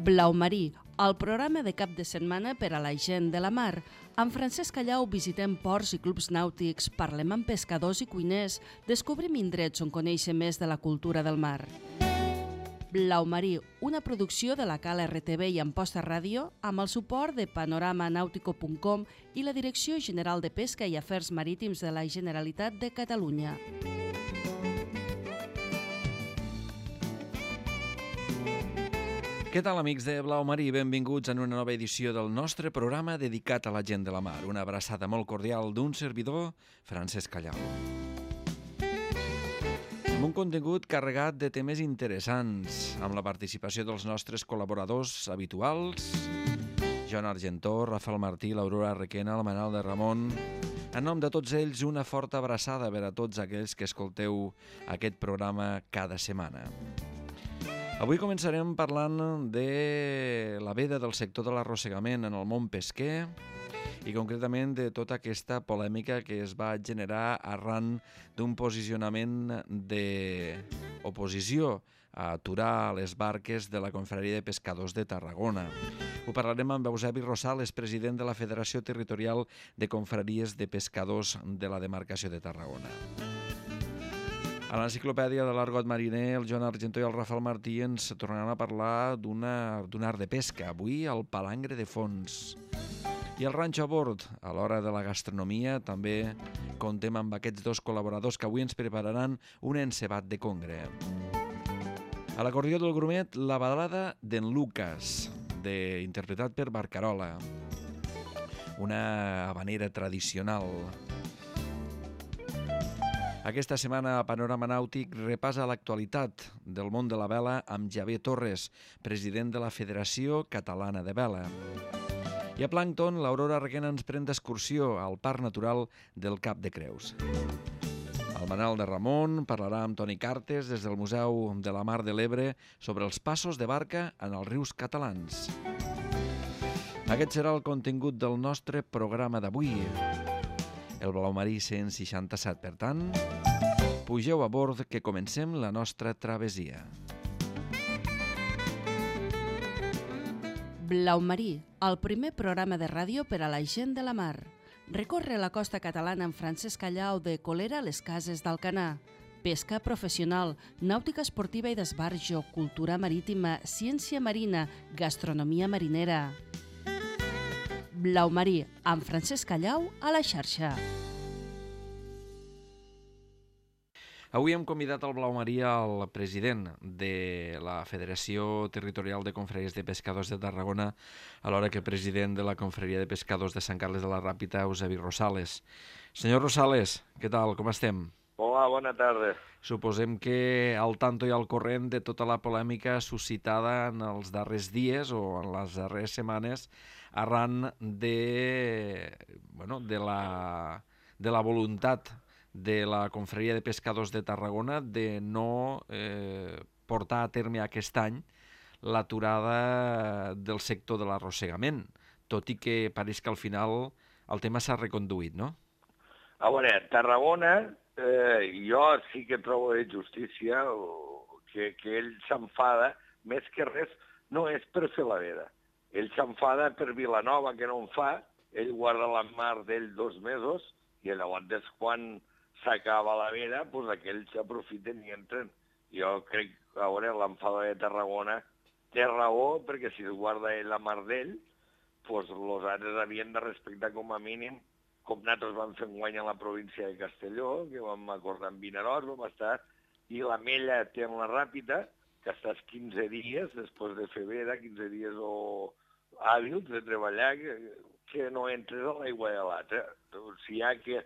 Blau Marí, el programa de cap de setmana per a la gent de la mar. Amb Francesc Callau visitem ports i clubs nàutics, parlem amb pescadors i cuiners, descobrim indrets on conèixer més de la cultura del mar. Blau Marí, una producció de la Cala RTV i Amposta Ràdio, amb el suport de panoramanautico.com i la Direcció General de Pesca i Afers Marítims de la Generalitat de Catalunya. Què tal, amics de Blau Marí? Benvinguts en una nova edició del nostre programa dedicat a la gent de la mar. Una abraçada molt cordial d'un servidor, Francesc Callau. Amb un contingut carregat de temes interessants, amb la participació dels nostres col·laboradors habituals, Joan Argentó, Rafael Martí, l'Aurora Requena, el Manal de Ramon. En nom de tots ells, una forta abraçada per a tots aquells que escolteu aquest programa cada setmana. Avui començarem parlant de la veda del sector de l'arrossegament en el món pesquer i concretament de tota aquesta polèmica que es va generar arran d'un posicionament d'oposició a aturar les barques de la Confraria de Pescadors de Tarragona. Ho parlarem amb Eusebi Rosales, president de la Federació Territorial de Confraries de Pescadors de la demarcació de Tarragona. A l'enciclopèdia de l'Argot Mariner, el Joan Argentó i el Rafael Martí ens tornaran a parlar d'un art de pesca, avui el palangre de fons. I el ranxo a bord, a l'hora de la gastronomia, també contem amb aquests dos col·laboradors que avui ens prepararan un encebat de congre. A l'acordió del grumet, la balada d'en Lucas, interpretat per Barcarola, una habanera tradicional. Aquesta setmana a Panorama Nàutic repassa l'actualitat del món de la vela amb Javier Torres, president de la Federació Catalana de Vela. I a Plàncton, l'Aurora Requena ens pren d'excursió al Parc Natural del Cap de Creus. El Manal de Ramon parlarà amb Toni Cartes des del Museu de la Mar de l'Ebre sobre els passos de barca en els rius catalans. Aquest serà el contingut del nostre programa d'avui. El Blau Marí 167, per tant, pugeu a bord que comencem la nostra travessia. Blau Marí, el primer programa de ràdio per a la gent de la mar. Recorre la costa catalana amb Francesc Callau de Colera a les Cases d'Alcanar. Pesca professional, nàutica esportiva i d'esbarjo, cultura marítima, ciència marina, gastronomia marinera. Blau Marí, amb Francesc Callau a la xarxa. Avui hem convidat al Blau Marí el president de la Federació Territorial de Confraries de Pescadors de Tarragona, alhora que president de la Confraria de Pescadors de Sant Carles de la Ràpita, Eusebi Rosales. Senyor Rosales, què tal? Com estem? Hola, bona tarda. Suposem que al tanto i al corrent de tota la polèmica suscitada en els darrers dies o en les darreres setmanes arran de la voluntat de la Confraria de Pescadors de Tarragona de no portar a terme aquest any l'aturada del sector de l'arrossegament, tot i que pareix que al final el tema s'ha reconduït, no? A veure, Tarragona, jo sí que trobo de justícia que ell s'enfada, més que res, no és per fer la veda. Ell s'enfada per Vilanova, que no en fa, ell guarda la mar d'ell 2 mesos, i llavors quan s'acaba la veda, doncs aquells s'aprofiten i entren. Jo crec que, a veure, l'enfada de Tarragona té raó, perquè si es guarda ell la mar d'ell, doncs els altres havien de respectar com a mínim, com nosaltres vam fer guany a la província de Castelló, que vam acordar amb Vinaròs, vam estar, i la Mella té en la Ràpita, que estàs 15 dies, després de fer veda, 15 dies hàbils de treballar, que no entres a l'aigua de l'altre. Si hi ha que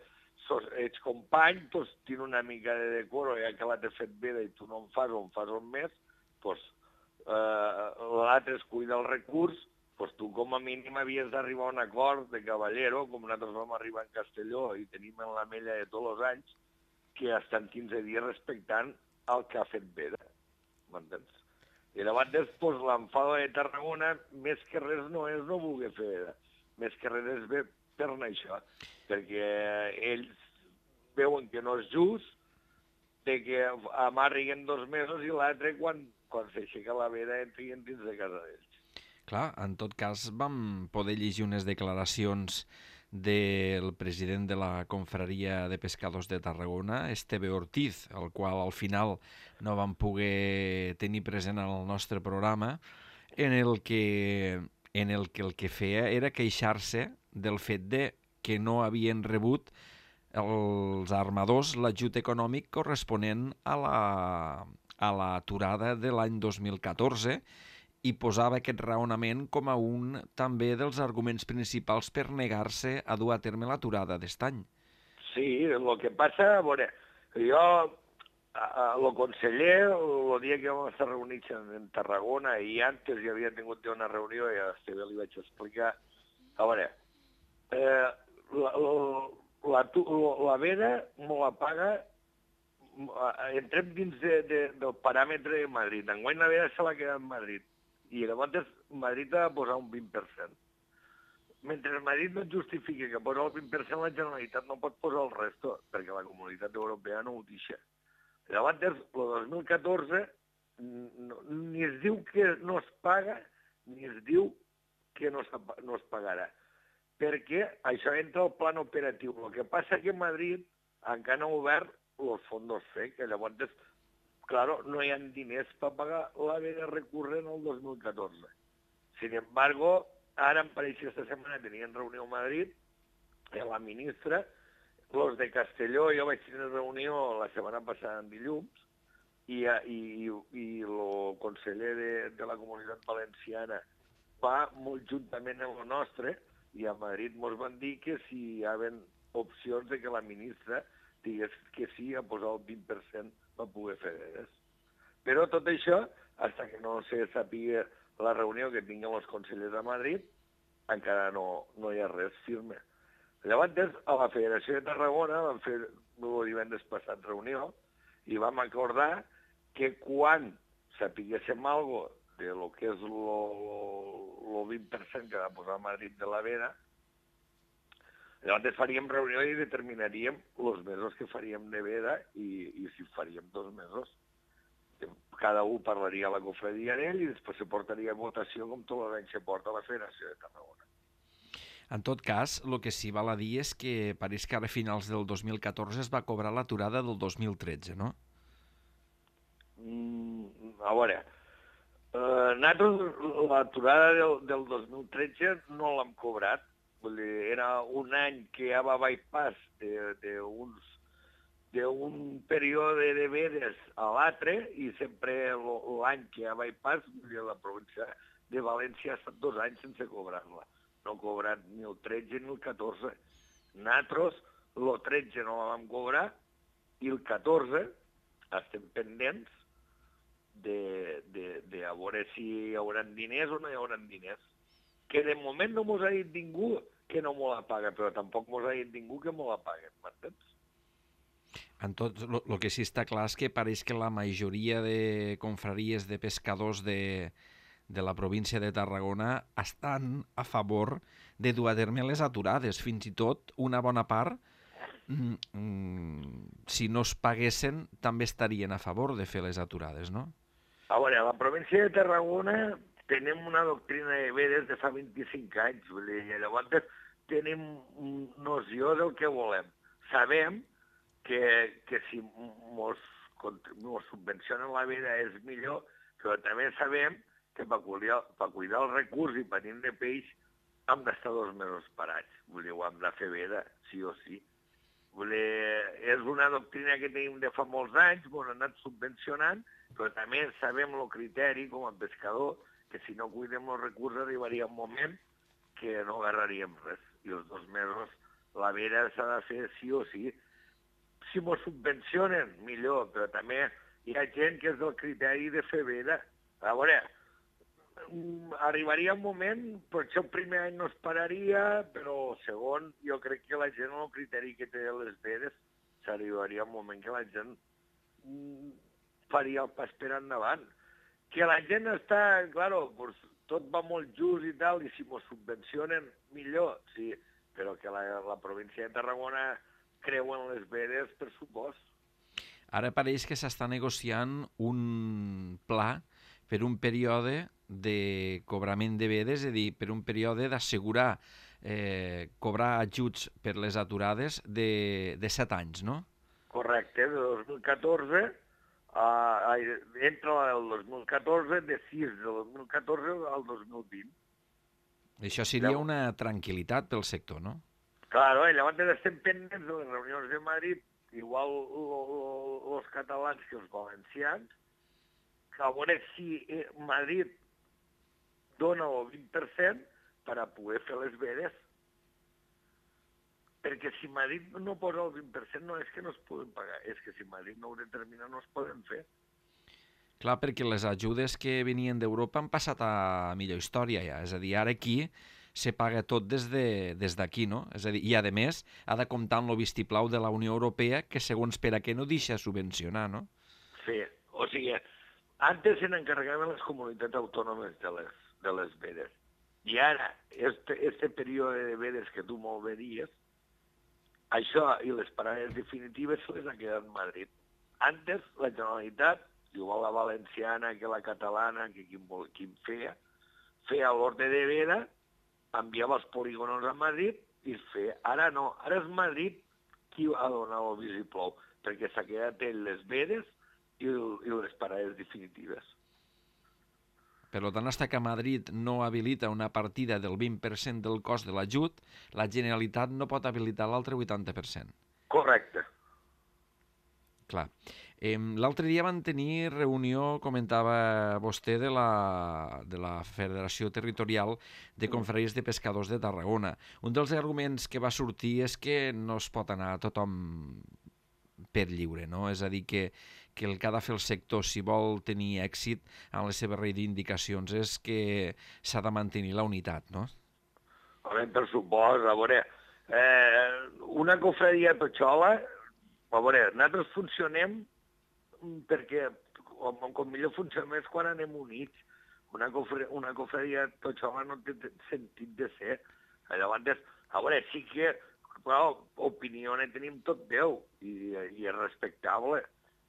ets company, doncs tens una mica de decoro, ja que l'altre ha fet veda i tu no en fas o en fas un mes, doncs l'altre es cuida el recurs, doncs tu com a mínim havies d'arribar a un acord de cavallero, com nosaltres vam arribar en Castelló i tenim en la Mella de tots els anys, que estan 15 dies respectant el que ha fet veda. M'entens? I llavors després l'enfada de Tarragona, més que res no és no voler fer veda, més que res és bé per això, perquè ells veuen que no és just, que amarriguen 2 mesos i l'altre quan s'aixeca la veda entrin dins de casa d'ells. Clar, en tot cas vam poder llegir unes declaracions del president de la Confraria de Pescadors de Tarragona, Esteve Ortiz, el qual al final no vam poder tenir present al nostre programa, en el que el que feia era queixar-se del fet de que no havien rebut els armadors l'ajut econòmic corresponent a l'aturada de l'any 2014 i posava aquest raonament com a un també dels arguments principals per negar-se a dur a terme l'aturada d'est any. Sí, el que passa, a veure, jo, el conseller, el dia que vam estar reunits en Tarragona, i antes ja havia tingut una reunió, i a Esteve li vaig explicar, a veure, la veda me la paga, entrem dins del paràmetre de Madrid. Enguany la veda se l'ha quedat en Madrid. I llavors Madrid ha de posar un 20%. Mentre Madrid no justifiqui que posa el 20%, la Generalitat no pot posar el resto, perquè la Comunitat Europea no ho deixa. Llavors, el 2014 ni es diu que no es paga, ni es diu que no es pagarà. Perquè això entra al plan operatiu. El que passa que Madrid encara no ha obert els fondos FEC, que llavors, claro, no hi ha diners per pagar la veda recurrent el 2014. Sin embargo, ara, em pareix que esta setmana tenien reunió a Madrid, la ministra, los de Castelló, jo vaig tenir reunió la setmana passada en dilluns, i el conseller de la Comunitat Valenciana va molt juntament amb el nostre, i a Madrid ens van dir que si hi havia opcions de que la ministra digués que sí a posar el 20% per poder fer vedes. Però tot això, fins que no se sàpiga la reunió que tinguin els consellers a Madrid, encara no hi ha res firme. Llavors, a la Federació de Tarragona vam fer el divendres passat reunió i vam acordar que quan sapiguéssim alguna cosa de lo que és el 20% que va posar a Madrid de la veda, llavors faríem reunió i determinaríem els mesos que faríem de veda i si faríem 2 mesos. Cada un parlaria a la confraria d'ell i després se portaria a votació com tot l'any se porta a la Federació de Tarragona. En tot cas, el que sí val a dir és que pareix que ara a finals del 2014 es va cobrar l'aturada del 2013, no? A veure, nosaltres l'aturada del 2013 no l'hem cobrat. Vull dir, era un any que ja va bypass d'un període de vedes a l'altre i sempre l'any que ja bypass, la província de València ha estat 2 anys sense cobrar-la. No ha cobrat ni el 13 ni el 14. Nosaltres el 13 no la vam cobrar i el 14 estem pendents de a veure si hi haurà diners o no hi haurà diners. Que de moment no mos ha dit ningú que no m'ho la paga, però tampoc mos ha dit ningú que m'ho la paguen, m'entens? En tot, el que sí està clar és que pareix que la majoria de confraries de pescadors de la província de Tarragona estan a favor de dur a terme les aturades. Fins i tot una bona part, si no es paguessin, també estarien a favor de fer les aturades, no? A veure, a la província de Tarragona tenim una doctrina de vedes de fa 25 anys, vull dir, llavors tenim noció del que volem. Sabem que si mos subvencionen la veda és millor, però també sabem que per cuidar el recurs i per de peix hem d'estar 2 mesos parats. Vull dir, ho hem de fer veda, sí o sí. Vull dir, és una doctrina que tenim de fa molts anys, ens han anat subvencionant, però també sabem el criteri com a pescador, que si no cuidem els recursos arribaria un moment que no agarraríem res. I els 2 mesos la veda s'ha de fer sí o sí. Si m'ho subvencionen, millor, però també hi ha gent que és del criteri de fer veda. A veure, arribaria un moment, potser el primer any no es pararia, però el segon, jo crec que la gent, el criteri que té les vedes, s'arribaria un moment que la gent faria el pas per endavant. Que la gent està, claro, pues, tot va molt just i tal, i si m'ho subvencionen, millor, sí, però que la província de Tarragona creu en les vedes, per supost. Ara pareix que s'està negociant un pla per un període de cobrament de vedes, és a dir, per un període d'assegurar cobrar ajuts per les aturades de 7 anys, no? Correcte, de 2014, entra el 2014, de 6 de 2014 al 2020. Això seria una tranquil·litat pel sector, no? Claro, i llavors estem pendents de les reunions de Madrid, igual els catalans que els valencians, que a veure si Madrid dona el 20% per a poder fer les vedes. Perquè si Madrid no posa el 20% no és que no es poden pagar, és que si Madrid no ho determina no es poden fer. Clar, perquè les ajudes que venien d'Europa han passat a millor història ja, és a dir, ara aquí se paga tot des d'aquí, no? És a dir, i a més ha de comptar amb el vistiplau de la Unió Europea que segons per a què no deixa subvencionar, no? Sí, o sigui, antes se n'encarregaven les comunitats autònomes de les vedes. I ara, este període de vedes que tu molt bé dies, això i les parades definitives se les ha quedat Madrid. Antes, la Generalitat, igual la valenciana que la catalana, que qui feia l'ordre de veda, enviava els polígonos a Madrid i es feia. Ara no, ara és Madrid qui ha donat el vistiplau, perquè s'ha quedat ell les vedes i les parades definitives. Per tant, fins que Madrid no habilita una partida del 20% del cost de l'ajut, la Generalitat no pot habilitar l'altre 80%. Correcte. Clar. L'altre dia van tenir reunió, comentava vostè, de la Federació Territorial de Confraries de Pescadors de Tarragona. Un dels arguments que va sortir és que no es pot anar tothom per lliure, no? És a dir, que el que ha de fer el sector, si vol tenir èxit en les seves reivindicacions, és que s'ha de mantenir la unitat, no? Home, per supost, a veure, una cofradia totxola, a veure, nosaltres funcionem perquè com millor funcionem és quan anem units. Una cofradia totxola no té sentit de ser. Llavors, a veure, sí que, clar, opinió ne tenim tot Déu i és respectable,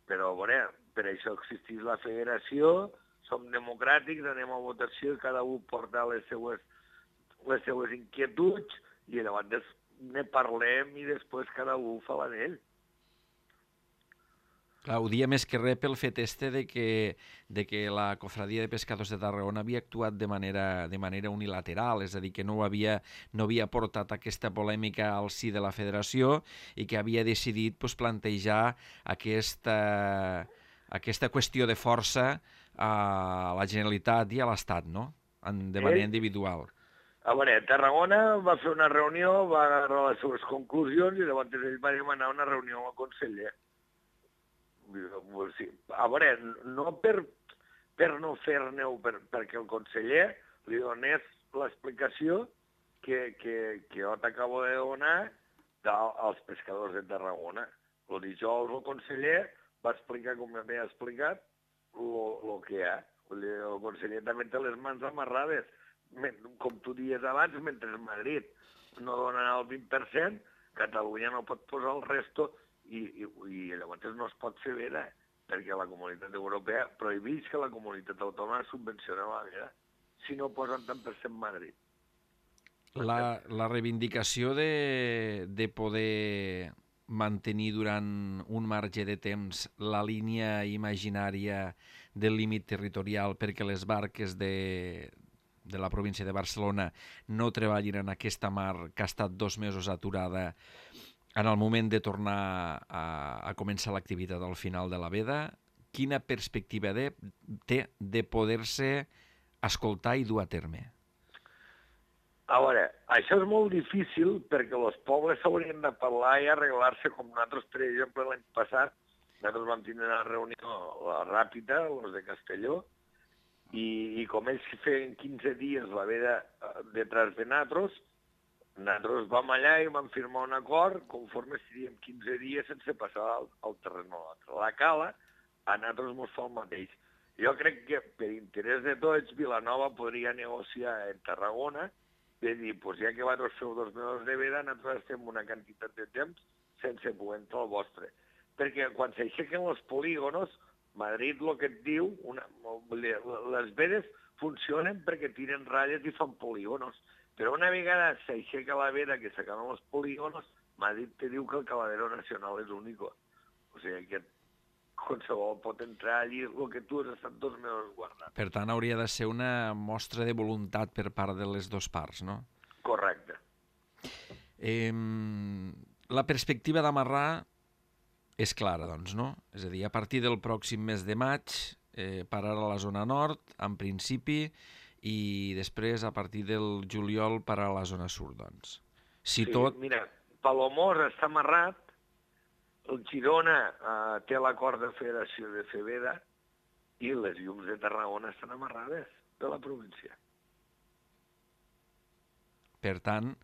però a veure, per això existeix la federació, som democràtics, anem a votació i cada un porta les seues inquietuds i llavors ne parlem i després cada un fa la d'ell. Clar, ho dia més que res pel fet de que la Cofradia de Pescadors de Tarragona havia actuat de manera unilateral, és a dir, que no havia portat aquesta polèmica al si de la federació i que havia decidit plantejar aquesta qüestió de força a la Generalitat i a l'Estat, no? De manera individual. A veure, Tarragona va fer una reunió, va agarrar les seves conclusions i llavors ell va demanar una reunió amb el conseller. A veure, no per no fer-ne-ho, perquè el conseller li donés l'explicació que jo t'acabo de donar als pescadors de Tarragona. El dijous el conseller va explicar, com m'havia explicat, el que hi ha. El conseller també té les mans amarrades. Com tu dies abans, mentre Madrid no dona el 20%, Catalunya no pot posar el resto i llavors no es pot fer veda, perquè la Comunitat Europea prohibeix que la comunitat autònoma subvencioni la veda si no posen tant per cent Madrid. La reivindicació de poder mantenir durant un marge de temps la línia imaginària del límit territorial perquè les barques de la província de Barcelona no treballin en aquesta mar que ha estat 2 mesos aturada en el moment de tornar a començar l'activitat al final de la veda, quina perspectiva té de poder-se escoltar i dur a terme? A veure, això és molt difícil perquè els pobles s'haurien de parlar i arreglar-se com nosaltres, per exemple, l'any passat. Nosaltres vam tenir una reunió ràpida, els de Castelló, i com ells feien 15 dies la veda detrás de nosaltres vam allà i vam firmar un acord conforme seríem 15 dies sense passar al terreny a l'altre. La cala, a nosaltres ens fa el mateix. Jo crec que per interès de tots, Vilanova podria negociar en Tarragona de dir, ja que vosaltres feu 2 mesos de veda, nosaltres estem una quantitat de temps sense poder entrar al vostre. Perquè quan s'aixequen els polígonos, Madrid, el que et diu, les vedes funcionen perquè tiren ratlles i fan polígonos. Però una vegada s'aixeca la veda, que s'acaben els polígonos, Madrid te diu que el Caladero Nacional és únic. O sigui que qualsevol pot entrar allí el que tu has estat 2 mesos guardant. Per tant, hauria de ser una mostra de voluntat per part de les dues parts, no? Correcte. La perspectiva d'amarrar és clara, doncs, no? És a dir, a partir del pròxim mes de maig pararà a la zona nord, en principi, i després, a partir del juliol, pararà a la zona sud, doncs. Sí, mira, Palamós està amarrat, el Girona té l'acord de federació de fer veda i les llums de Tarragona estan amarrades de la província. Per tant,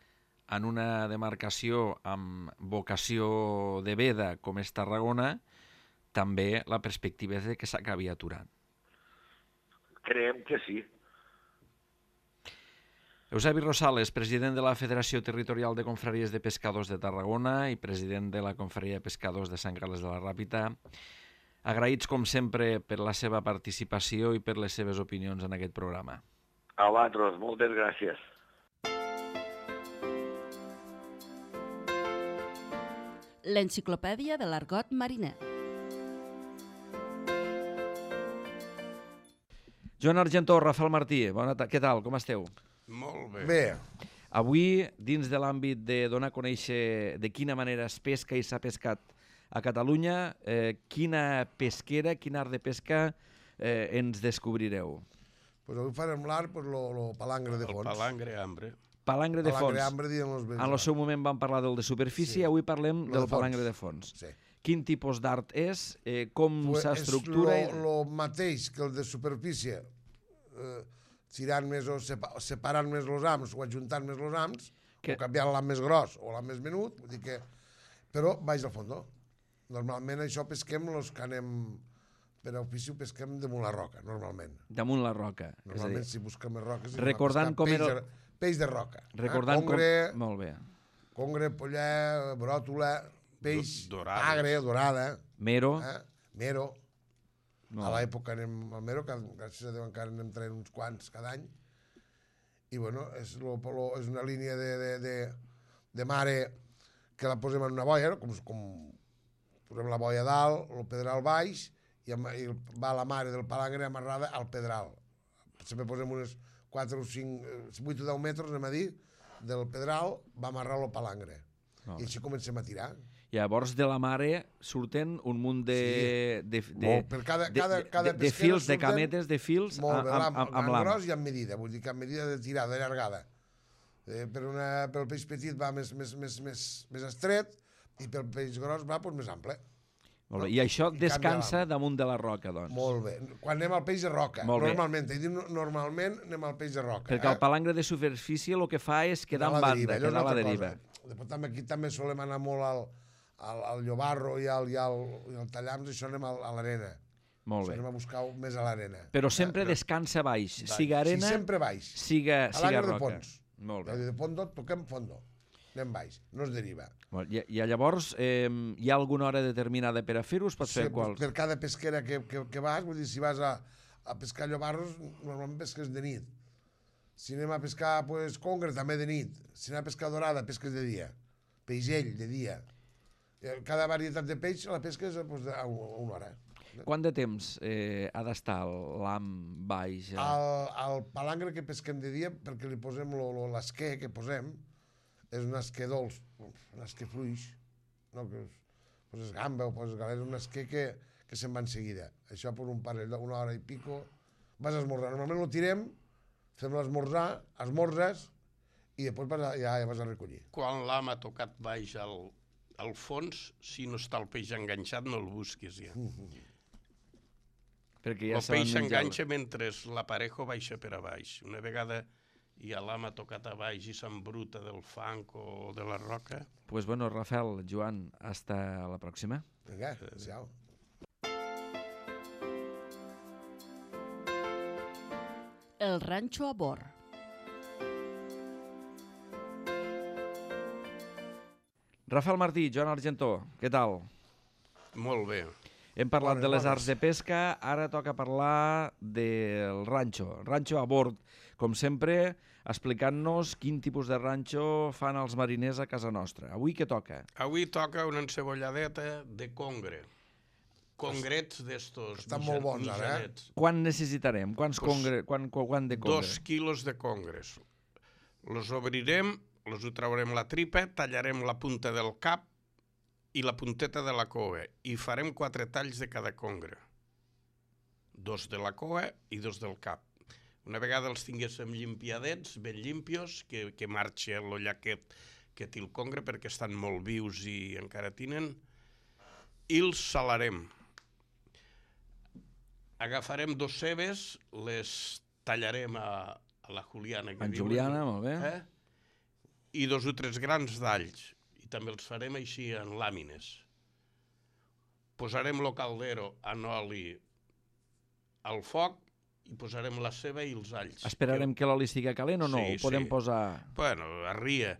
en una demarcació amb vocació de veda com és Tarragona, també la perspectiva és que s'acabi aturant. Creiem que sí. Eusebi Rosales, president de la Federació Territorial de Confraries de Pescadors de Tarragona i president de la Confraria de Pescadors de Sant Carles de la Ràpita, agraïts com sempre per la seva participació i per les seves opinions en aquest programa. A vosaltres, moltes gràcies. L'enciclopèdia de l'argot mariner. Joan Argentó, Rafael Martí, què tal, com esteu? Molt bé. Bé, Avui, dins de l'àmbit de donar a conèixer de quina manera es pesca i s'ha pescat a Catalunya, quina pesquera, quin art de pesca ens descobrireu? pues avui farem l'art, pues, lo palangre de El fons. palangre ambre. Palangre de Palangre fons. ambre, diem els En el seu moment vam parlar del de superfície, Sí. avui parlem Lo del de fons. palangre de fons. Sí. Quin tipus d'art és? Com Pues s'estructura? és lo mateix que el de superfície, tirant més o separant més els ams o ajuntant més els ams, Que- o canviant l'am més gros o l'am més menut, vull dir que... Però baix al fons. Normalment això pesquem els que anem per ofici, ho pesquem damunt la roca, normalment. Damunt la roca. És a Normalment, dir, si busquem més roques... recordant com era... Peix de roca. Recordant Congre, com... Molt bé. congre, pollar, bròtola, peix, Dorades. agre, dorada, Mero. mero. No. A l'època anem al mero, que gràcies a Déu encara anem traient uns quants cada any. I bueno, és una línia de mare que la posem en una boia, no? com posem la boia dalt, el pedral baix, i va la mare del palangre amarrada al pedral. Sempre posem unes 4 o 5, 8 o 10 metres, anem a dir, del pedral, va amarrar el palangre. I així comencem a tirar. Llavors de la mare surten un munt de Per cada de pesquera fils, de surten cametes, de fils molt bé, amb amb l'am. gros i amb medida, vull dir que amb medida de tirada, de llargada. Per el peix petit va més estret i pel peix gros va més ample. Molt bé. I això I descansa canvia damunt de la roca, doncs. Molt bé. Quan anem al peix de roca, Molt bé. normalment anem al peix de roca. Perquè el palangre de superfície el que fa és quedar en banda, quedar a la deriva. Després aquí també solem anar molt al llobarro i al tallams, això anem a l'arena. Molt Anem bé. a buscar més a l'arena. Però sempre descansa baix, siga Sí, arena, sempre baix. siga Palangre de roca. fons. Molt bé. De fondo, toquem fondo. Anem baix, no es deriva. I llavors hi ha alguna hora determinada per a fer-ho? Es pot fer quals? Per cada pesquera que vas, vull dir, si vas a pescar llobarros, normalment pesques de nit. Si anem a pescar congre, també de nit. Si anem a pescar dorada, pesques de dia. Peixell, de dia. Cada varietat de peix la pesques a una hora. Quant de temps ha d'estar l'am baix? El palangre que pesquem de dia, perquè li posem l'esquer que posem, és un esquer dolç, un esquer fluix, no que poses gamba o poses galera, un esquer que se'n va en seguida. Això per un parell d'una hora i pico, vas a esmorzar. Normalment ho tirem, fem l'esmorzar, esmorzes, i després ja vas a recollir. Quan l'am ha tocat baix al fons, si no està el peix enganxat, no el busquis ja. Perquè ja El peix s'enganxa mentre l'aparejo baixa per a baix. Una vegada ja l'am ha tocat a baix i s'embruta del fang o de la roca. Pues bueno, Rafael, Joan, hasta la pròxima. Vinga, adéu. El ranxo a bord. Rafael Martí, Joan Argentó, què tal? Molt bé. Hem parlat de les arts de pesca, ara toca parlar del ranxo. Ranxo a bord, com sempre, explicant-nos quin tipus de ranxo fan els mariners a casa nostra. Avui què toca? Avui toca una encebolladeta de congre. Congrets d'estos Estan molt bons, ara, Quan necessitarem? Quant de congre? 2 quilos de congres. Los obrirem, los ho traurem la tripa, tallarem la punta del cap i la punteta de la cua i farem 4 talls de cada congre. 2 de la cua i 2 del cap. Una vegada els tinguéssim llimpiadets, ben limpios, que marxi l'olla que té el congre perquè estan molt vius i encara tinen, i els salarem. Agafarem 2 cebes, les tallarem a la juliana. En juliana, molt bé. I 2 o 3 grans d'alls. I també els farem així en làmines. Posarem el caldero en oli al foc i posarem la ceba i els alls. Esperarem que l'oli estigui calent o no? Sí, ho podem posar... Bueno, arria.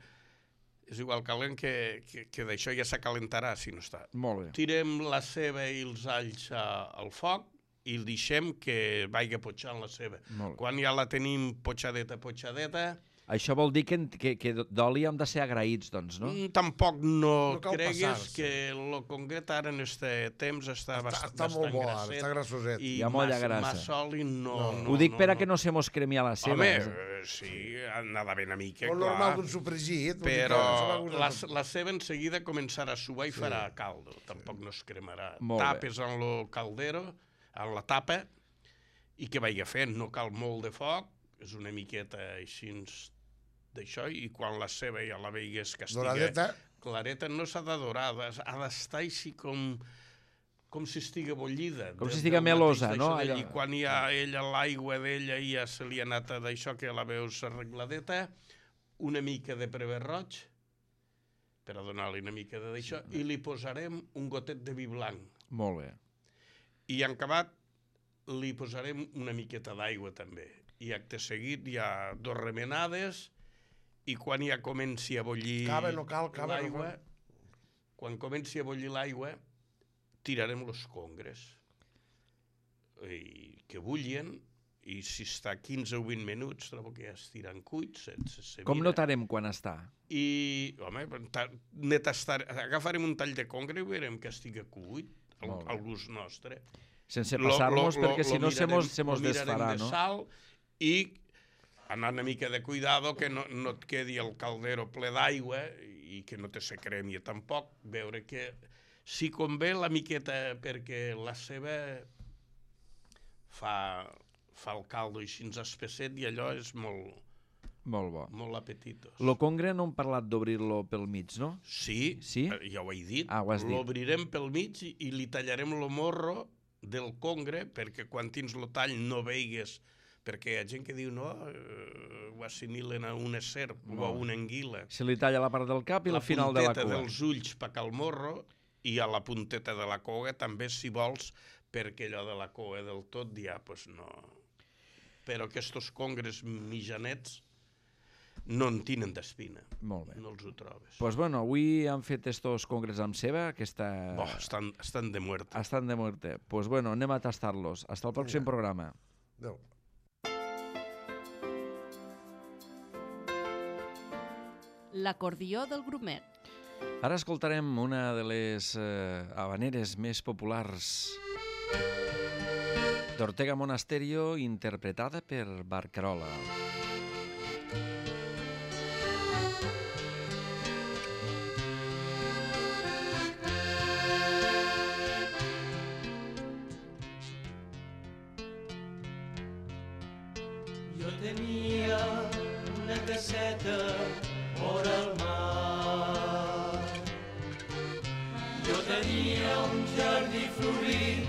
És igual calent que d'això ja s'acalentarà si no està. Molt bé. Tirem la ceba i els alls al foc i el deixem que vagi potxant la ceba. Quan ja la tenim potxadeta, això vol dir que d'oli hem de ser agraïts, doncs, no? Tampoc no cregues que el concret ara en aquest temps està bastant molt bo, està grassoset. Hi ha molla grassa. Massa oli no... Ho dic per a que no se mos cremi a la ceba. Home, sí, anava ben a mica, clar. O normal d'un sofregit. Però la ceba en seguida començarà a suar i farà caldo. Tampoc no es cremarà. Tapes en el caldero, en la tapa, i que vagi fent. No cal molt de foc, és una miqueta així d'això, i quan la ceba ja la veigues que estigui clareta, no s'ha de dorar, ha d'estar així com si estigui bullida. Com si estigui melosa, no? I quan hi ha l'aigua d'ella ja se li ha anat d'això, que la veus arregladeta, una mica de prever roig, per a donar-li una mica d'això, i li posarem un gotet de vi blanc. Molt bé. I en acabat li posarem una miqueta d'aigua també. I acte seguit hi ha 2 remenades i quan ja comenci a bullir l'aigua, quan comenci a bullir l'aigua, tirarem els congres que bullien, i si està 15 o 20 minuts trobo que ja estiran cuits. Com notarem quan està? I, home, agafarem un tall de congre i veurem que estigui cuit al gust nostre. Sense passar-nos, perquè si no se mos desfarà, no? De sal i anar una mica de cuidado que no et quedi el caldero ple d'aigua i que no te se cremi tampoc. Veure que si convé la miqueta, perquè la ceba fa el caldo així espesset i allò és molt bo. Molt apetitós. Lo congre no hem parlat d'obrir-lo pel mig, no? Sí, ja ho he dit. Ho has dit. L'obrirem pel mig i li tallarem el morro del congre perquè quan tens el tall no veigues, perquè hi ha gent que diu no, ho assimilen a una serp o a una anguila. Se li talla la part del cap i la final de la cua. La punteta dels ulls per al morro i a la punteta de la cua també, si vols, perquè allò de la cua del tot ja, doncs no. Però aquests congres mitjanets no en tenen d'espina. Molt bé. No els ho trobes. Doncs bueno, avui han fet estos congres amb ceba, que estan de muerte. Estan de muerte. Doncs bueno, anem a tastar-los. Hasta el pròxim programa. Adéu. L'acordió del grumet. Ara escoltarem una de les habaneres més populars d'Ortega Monasterio, interpretada per Barcarola. Jo tenia una caseta vora el mar. Jo tenia un jardí florit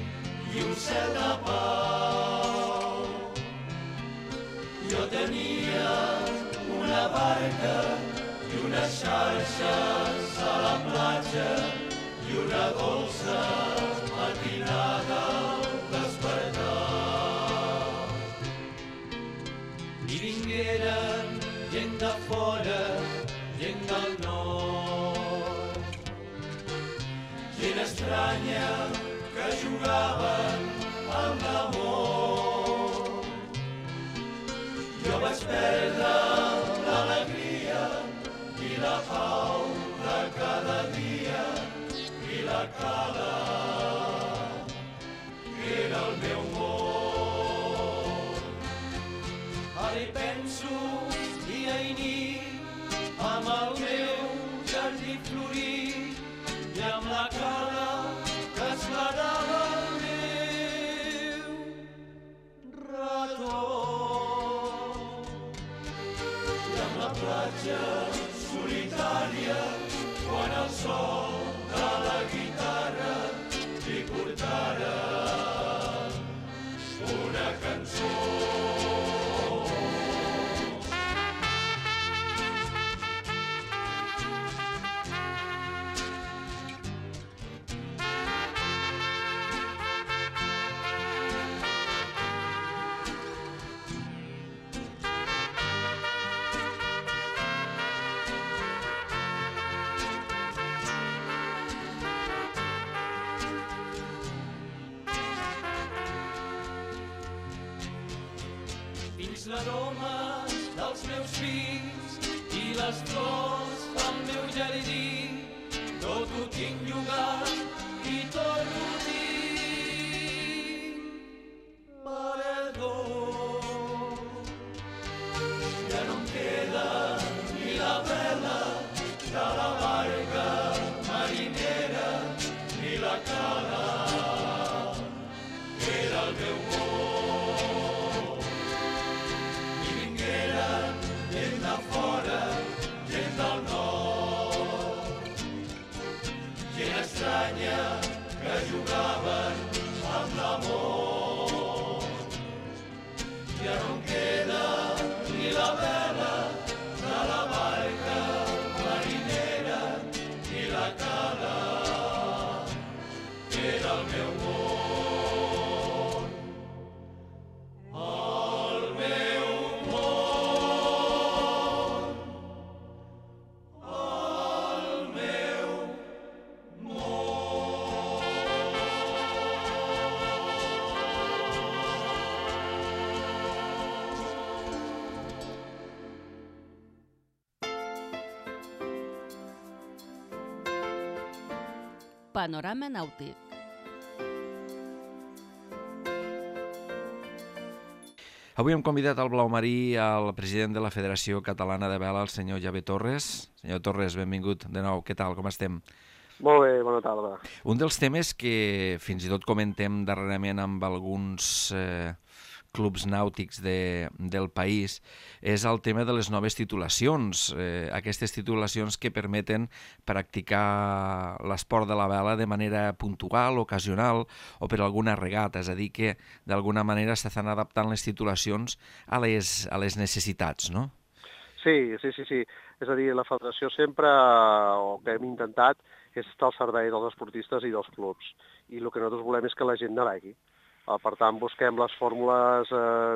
i un cel de pau. Jo tenia una barca i unes xarxes a la platja i una dolça matinada al despertar. I vingueren gent de fora, gent del nord, gent estranya que jugava jugaven amb l'amor. Jo vaig perdre l'alegria i la pau de cada dia i la cala era el meu món. Ara hi penso dia i nit amb el meu jardí florit i amb la cala que esclarava el meu retorn. I amb la platja solitària quan el sol de la guitarra li portara una cançó. Dins l'aroma dels meus fills i les flors del meu jardí, tot ho tinc llogat i tot ho tinc perdó. Ja no em queda ni la vela de la barca marinera ni la cala, era el meu món. Que jugaven amb l'amor. Ja no em queda ni la vela de la barca marinera ni la cala, era el meu món. El meu món. El meu Panorama nàutic. Avui hem convidat al Blau Marí al president de la Federació Catalana de Vela, el senyor Javier Torres. Senyor Torres, benvingut de nou. Què tal, com estem? Molt bé, bona tarda. Un dels temes que fins i tot comentem darrerament amb alguns clubs nàutics del país és el tema de les noves titulacions, aquestes titulacions que permeten practicar l'esport de la vela de manera puntual, ocasional o per alguna regata, és a dir que d'alguna manera s'estan adaptant les titulacions a les necessitats, no? Sí. És a dir, la federació sempre, o que hem intentat, és estar al servei dels esportistes i dels clubs. I el que nosaltres volem és que la gent navegui. Per tant, busquem les fórmules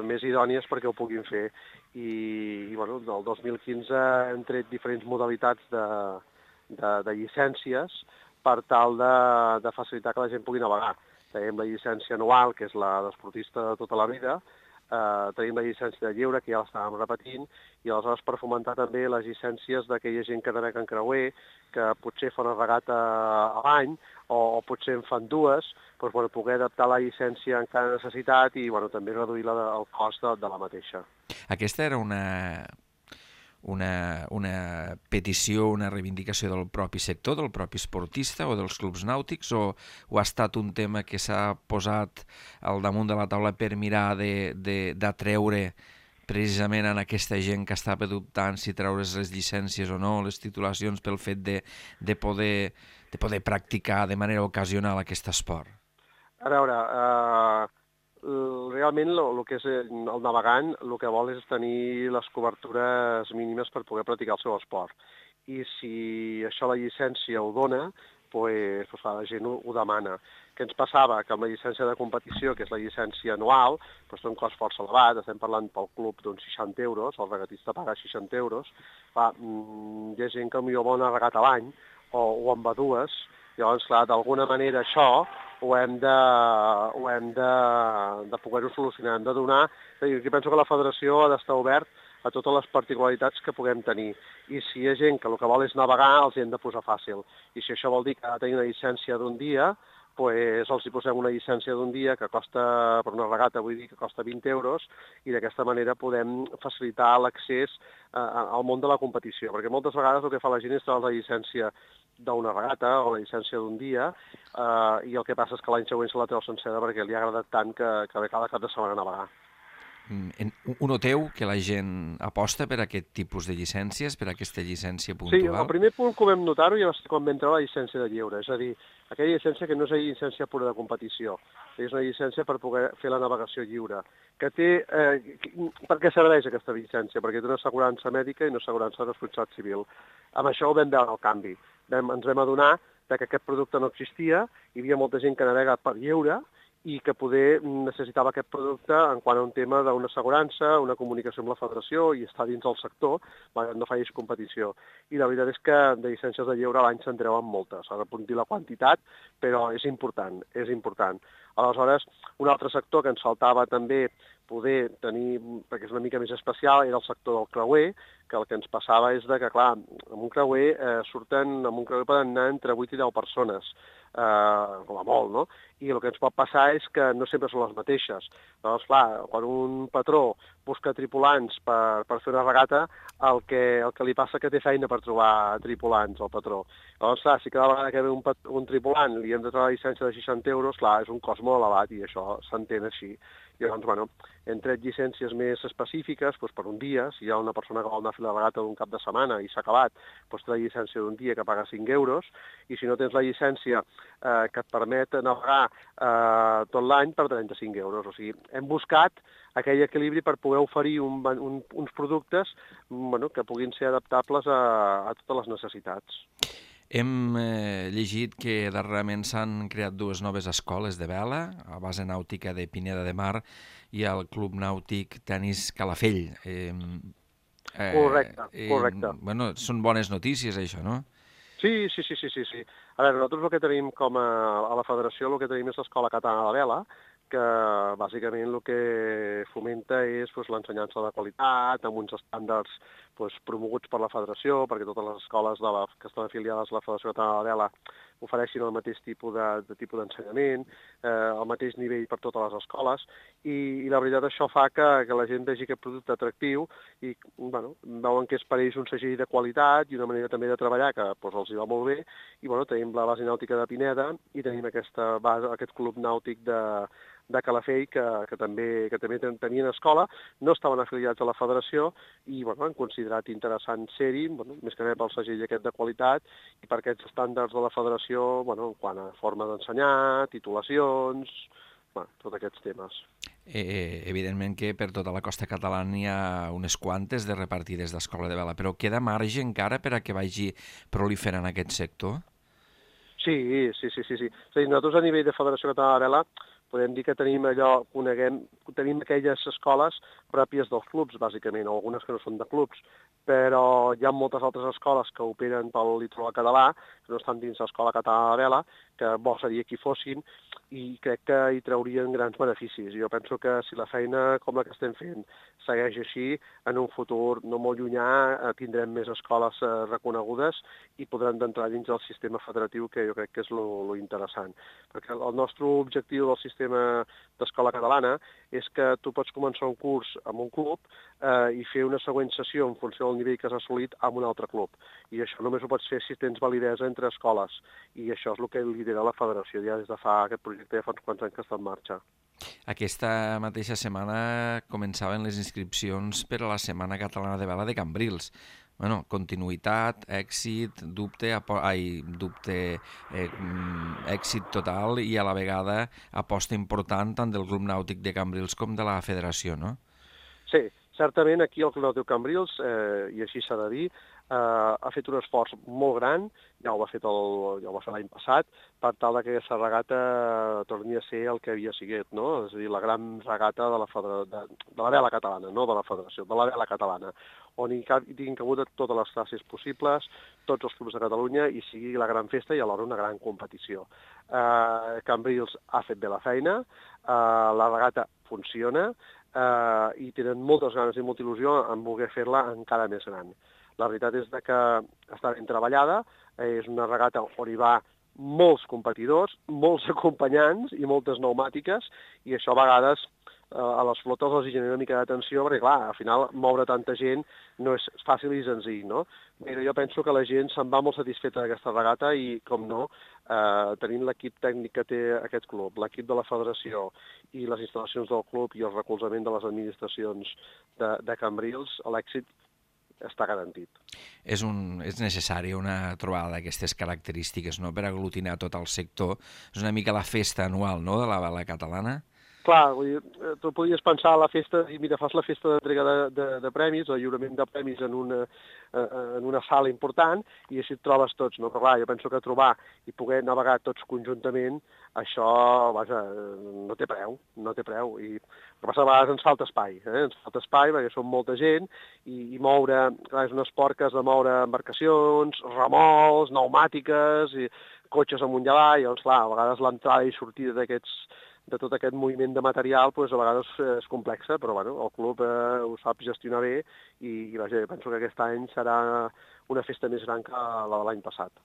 més idònies perquè ho puguin fer. I bueno, del 2015 hem tret diferents modalitats de llicències per tal de facilitar que la gent pugui navegar. Tenim la llicència anual, que és la d'esportista de tota la vida, tenim la llicència de lleure, que ja l'estàvem repetint, i aleshores per fomentar també les llicències d'aquella gent que navega en creuer, que potser fa una regata a l'any, o potser en fan dues, doncs, bueno, poder adaptar la llicència en cada necessitat i bueno, també reduir el cost de la mateixa. Aquesta era una petició, una reivindicació del propi sector, del propi esportista o dels clubs nàutics, o ha estat un tema que s'ha posat al damunt de la taula per mirar d'atreure precisament en aquesta gent que està dubtant si treure's les llicències o no, les titulacions, pel fet de poder practicar de manera ocasional aquest esport? A veure, realment el que és el navegant el que vol és tenir les cobertures mínimes per poder practicar el seu esport. I si això la llicència ho dona, doncs la gent ho demana. Què ens passava? Que amb la llicència de competició, que és la llicència anual, doncs té un cost força elevat, estem parlant pel club d'uns 60 euros, el regatista paga 60 euros, clar, hi ha gent que potser vol una regata a l'any, o en va dues, llavors, clar, d'alguna manera això ho hem de poder-ho solucionar, hem de donar... Jo penso que la federació ha d'estar obert a totes les particularitats que puguem tenir. I si hi ha gent que el que vol és navegar, els hi hem de posar fàcil. I si això vol dir que ha de tenir una llicència d'un dia, doncs els hi posem una llicència d'un dia que costa, per una regata, vull dir, que costa 20 euros, i d'aquesta manera podem facilitar l'accés al món de la competició. Perquè moltes vegades el que fa la gent és treure la llicència d'una regata o la llicència d'un dia, i el que passa és que l'any següent se la treu sencera perquè li ha agradat tant que ve cada cap de setmana a navegar. Ho noteu, que la gent aposta per aquest tipus de llicències, per aquesta llicència puntual? Sí, el primer punt que vam notar-ho ja va ser quan vam treure la llicència de lleure, és a dir, aquella llicència que no és una llicència pura de competició, és una llicència per poder fer la navegació lliure, que té... Per què serveix aquesta llicència? Perquè té una assegurança mèdica i una assegurança de responsabilitat civil. Amb això ho vam veure el canvi. Ens vam adonar que aquest producte no existia, hi havia molta gent que navega per lleure, i que poder necessitava aquest producte en quant a un tema d'una assegurança, una comunicació amb la federació i estar dins del sector, no facis competició. I la veritat és que de llicències de lleure a l'any se'n treuen moltes. S'ha de dir la quantitat, però és important, és important. Aleshores, un altre sector que ens faltava també poder tenir, perquè és una mica més especial, era el sector del creuer, que el que ens passava és que, clar, amb un creuer poden anar entre 8 i 10 persones, com a molt, no? I el que ens pot passar és que no sempre són les mateixes. Llavors, clar, quan un patró busca tripulants per fer una regata, el que li passa que té feina per trobar tripulants, el patró. Llavors, clar, si cada vegada que ve un tripulant li hem de treure la llicència de 60 euros, clar, és un cost molt elevat i això s'entén així. I llavors, bueno, hem tret llicències més específiques per un dia. Si hi ha una persona que vol anar a fer la regata d'un cap de setmana i s'ha acabat, té la llicència d'un dia que paga 5 euros, i si no tens la llicència que et permet navegar tot l'any per 35 euros. O sigui, hem buscat aquell equilibri per poder oferir uns productes que puguin ser adaptables a totes les necessitats. Hem llegit que darrerament s'han creat 2 noves escoles de vela, a base nàutica de Pineda de Mar i el Club Nàutic Tenis Calafell. Correcte. Bueno, són bones notícies, això, no? Sí. A veure, nosaltres el que tenim a la federació, el que tenim és l'Escola Catalana de Vela, que bàsicament el que fomenta és l'ensenyança de qualitat, amb uns estàndards promoguts per la federació, perquè totes les escoles que estan afiliades a la Federació Catalana de Vela ofereixin el mateix tipus d'ensenyament, el mateix nivell per totes les escoles, i la veritat això fa que la gent vegi aquest producte atractiu i veuen que és per ells un segell de qualitat i una manera també de treballar que els hi va molt bé, i tenim la base nàutica de Pineda i tenim aquest club nàutic de Calafell que també tenien escola, no estaven afiliats a la federació i han considerat interessant ser-hi, més que res pel segell aquest de qualitat i per aquests estàndards de la federació en quant a forma d'ensenyar, titulacions, tots aquests temes. Evidentment que per tota la costa catalana hi ha unes quantes de repartides d'escola de vela, però queda marge encara per a que vagi proliferant aquest sector? Sí. És a dir, nosaltres a nivell de Federació Catalana de Vela podem dir que tenim tenim aquelles escoles pròpies dels clubs, bàsicament, o algunes que no són de clubs, però hi ha moltes altres escoles que operen pel litoral català, que no estan dins l'Escola Catalana de Vela, que bo seria que hi fossin, i crec que hi traurien grans beneficis. Jo penso que si la feina com la que estem fent segueix així, en un futur no molt llunyà tindrem més escoles reconegudes i podran entrar dins del sistema federatiu, que jo crec que és lo interessant. Perquè el nostre objectiu del sistema d'escola catalana és que tu pots començar un curs amb un club i fer una següent sessió en funció del nivell que has assolit amb un altre club. I això només ho pots fer si tens validesa entre escoles. I això és el que lidera la federació ja des de aquest projecte ja fa uns quants anys que està en marxa. Aquesta mateixa setmana començaven les inscripcions per a la Setmana Catalana de Vela de Cambrils. Continuïtat, èxit, èxit total i a la vegada aposta important tant del Club Nàutic de Cambrils com de la Federació, no? Sí, certament aquí al Club Nàutic Cambrils, i així s'ha de dir, ha fet un esforç molt gran, ja ho va fer l'any passat, per tal que aquesta regata torni a ser el que havia sigut, no? És a dir, la gran regata de la vela catalana, no de la federació, de la vela catalana, on hi tinguin cabut totes les classes possibles, tots els clubs de Catalunya, i sigui la gran festa i alhora una gran competició. Cambrils ha fet bé la feina, la regata funciona, i tenen moltes ganes i molta il·lusió en voler fer-la encara més gran. La veritat és que està ben treballada, és una regata on hi va molts competidors, molts acompanyants i moltes pneumàtiques, i això a vegades a les flotes els genera una mica d'atenció, perquè clar, al final moure tanta gent no és fàcil i senzill, no? Però jo penso que la gent se'n va molt satisfeta d'aquesta regata i, com no, tenint l'equip tècnic que té aquest club, l'equip de la federació i les instal·lacions del club i el recolzament de les administracions de Cambrils, l'èxit està garantit. És necessària una trobada d'aquestes característiques, no?, per aglutinar tot el sector. És una mica la festa anual, no?, de la vela catalana. Clar, vull dir, tu podies pensar a la festa, i mira, fas la festa d'entrega de premis, el lliurament de premis en una sala important, i així et trobes tots, no? Però clar, jo penso que trobar i poder navegar tots conjuntament, això, vaja, no té preu. El que passa a vegades ens falta espai, ens falta espai perquè som molta gent, i moure, clar, és un esport que has de moure embarcacions, remolcs, pneumàtiques, i cotxes amunt i avall, doncs clar, a vegades l'entrada i sortida de tot aquest moviment de material, doncs a vegades és complexa, però bueno, el club ho sap gestionar bé i vaja, penso que aquest any serà una festa més gran que la de l'any passat.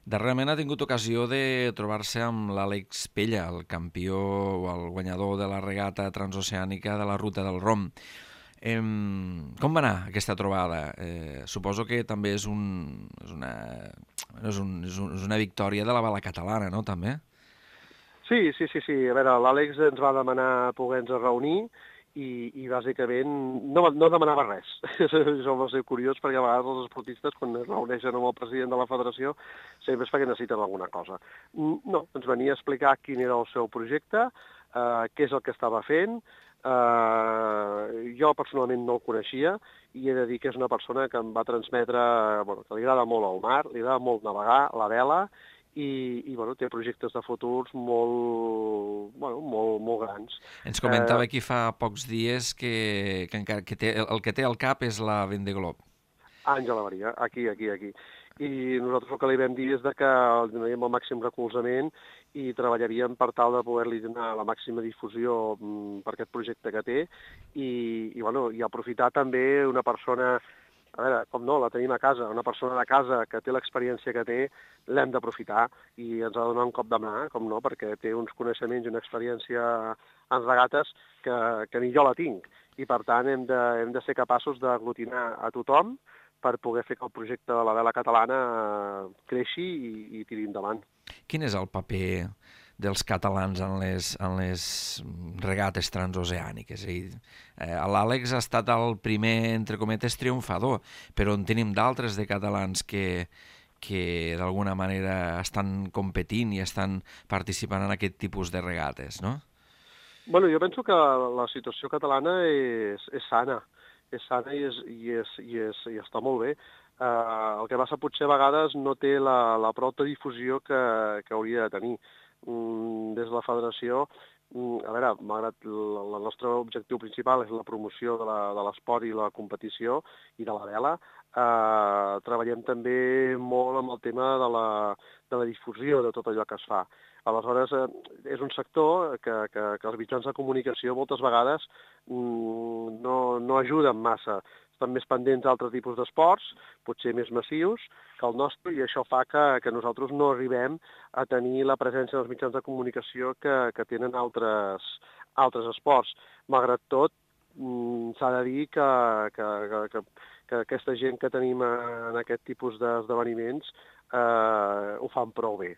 Darrerament ha tingut ocasió de trobar-se amb l'Àlex Pella, el campió o el guanyador de la regata transoceànica de la Ruta del Rom. Com va anar aquesta trobada? Suposo que també és una victòria de la vela catalana, no?, també? Sí. A veure, l'Àlex ens va demanar poder-nos reunir i bàsicament no demanava res. Això va ser curiós perquè a vegades els esportistes, quan es reuneixen amb el president de la federació, sempre és perquè necessiten alguna cosa. No, ens venia a explicar quin era el seu projecte, què és el que estava fent. Jo personalment no el coneixia i he de dir que és una persona que em va transmetre que li agrada molt el mar, li agrada molt navegar, la vela, i té projectes de futurs molt grans. Ens comentava aquí fa pocs dies que el que té al cap és la Vendée Globe. Àngela Maria, aquí. I nosaltres el que li vam dir és que li donaríem el màxim recolzament i treballaríem per tal de poder-li donar la màxima difusió per aquest projecte que té i aprofitar també una persona. A veure, com no, la tenim a casa, una persona de casa que té l'experiència que té, l'hem d'aprofitar i ens ha de donar un cop de mà, com no, perquè té uns coneixements i una experiència en regates que ni jo la tinc. I per tant hem de ser capaços d'aglutinar a tothom per poder fer que el projecte de la vela catalana creixi i tiri endavant. Quin és el paper dels catalans en les regates transoceàniques? L'Àlex ha estat el primer, entre cometes, triomfador, però en tenim d'altres de catalans que d'alguna manera estan competint i estan participant en aquest tipus de regates, no? Bueno, jo penso que la situació catalana és sana. És sana i està molt bé. El que passa potser a vegades no té la prou difusió que hauria de tenir. Des de la federació, a veure, malgrat el nostre objectiu principal és la promoció de l'esport i la competició i de la vela, treballem també molt amb el tema de la difusió de tot allò que es fa. Aleshores, és un sector que els mitjans de comunicació moltes vegades no ajuden massa. Estan més pendents d'altres tipus d'esports, potser més massius que el nostre, i això fa que nosaltres no arribem a tenir la presència dels mitjans de comunicació que tenen altres esports. Malgrat tot, s'ha de dir que aquesta gent que tenim en aquest tipus d'esdeveniments ho fan prou bé.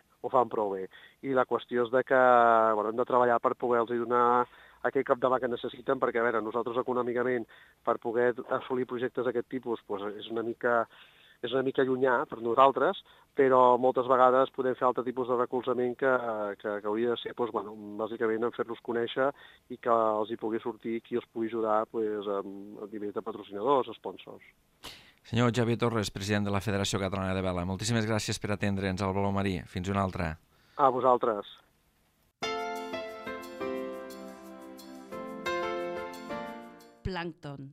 I la qüestió és que hem de treballar per poder-los donar aquell cop de mà que necessiten, perquè, a veure, nosaltres econòmicament, per poder assolir projectes d'aquest tipus, és una mica llunyà per nosaltres, però moltes vegades podem fer altre tipus de recolzament que hauria de ser, bàsicament, en fer-los conèixer i que els hi pugui sortir qui els pugui ajudar a nivell de patrocinadors, sponsors. Senyor Xavier Torres, president de la Federació Catalana de Vela, moltíssimes gràcies per atendre'ns al Baló Marí. Fins una altra. A vosaltres. Plàncton.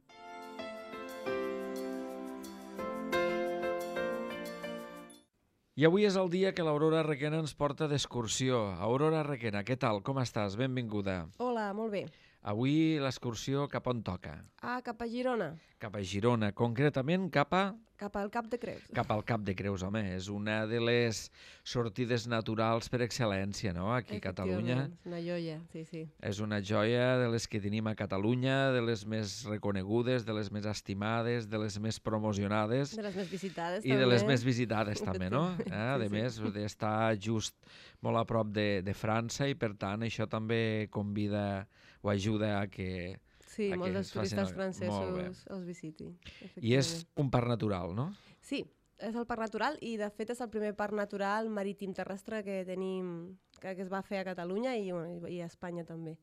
I avui és el dia que l'Aurora Requena ens porta d'excursió. Aurora Requena, què tal? Com estàs? Benvinguda. Hola, molt bé. Avui l'excursió cap on toca? Cap a Girona, Cap a Girona, concretament cap cap al Cap de Creus. al Cap de Creus, home. És una de les sortides naturals per excel·lència, no? Aquí a Catalunya. Efectivament, una joia, sí, sí. És una joia de les que tenim a Catalunya, de les més reconegudes, de les més estimades, de les més promocionades De les més visitades, i també. de les més visitades també, no? A Sí, més, d'estar just molt a prop de França i, per tant, això també convida o ajuda a que... Sí, a molts que dels es facin turistes molt bé. francesos els visitin. I és un parc natural, no? Sí, és el parc natural i, de fet, és el primer parc natural marítim terrestre que tenim, que es va fer a Catalunya i a Espanya també,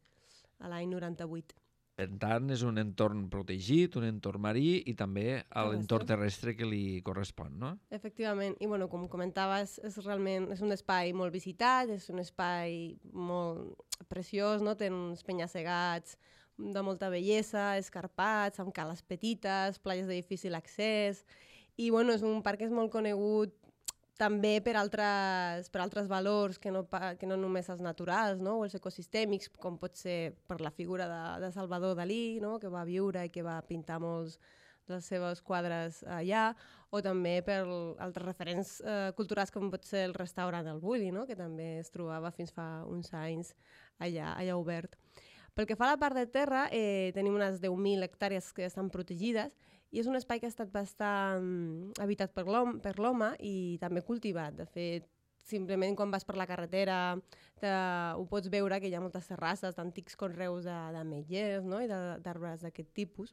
a l'any 98. Per tant, és un entorn protegit, un entorn marí i també l'entorn terrestre que li correspon, no? Efectivament, i bueno, com comentaves, és un espai molt visitat, és un espai molt preciós, no? Té uns penya-segats de molta bellesa, escarpats, amb cales petites, platges de difícil accés, i bueno, és un parc que és molt conegut també per altres valors que no només els naturals, no? O els ecosistèmics, com pot ser per la figura de Salvador Dalí, no? Que va viure i que va pintar molts dels seus quadres allà, o també per altres referents culturals com pot ser el restaurant El Bulli, no? Que també es trobava fins fa uns anys allà obert. Pel que fa a la part de terra, tenim unes 10.000 hectàrees que estan protegides i és un espai que ha estat bastant habitat per l'home i també cultivat. De fet, simplement quan vas per la carretera ho pots veure que hi ha moltes terrasses d'antics conreus d'ametllers, no? I d'arbres d'aquest tipus.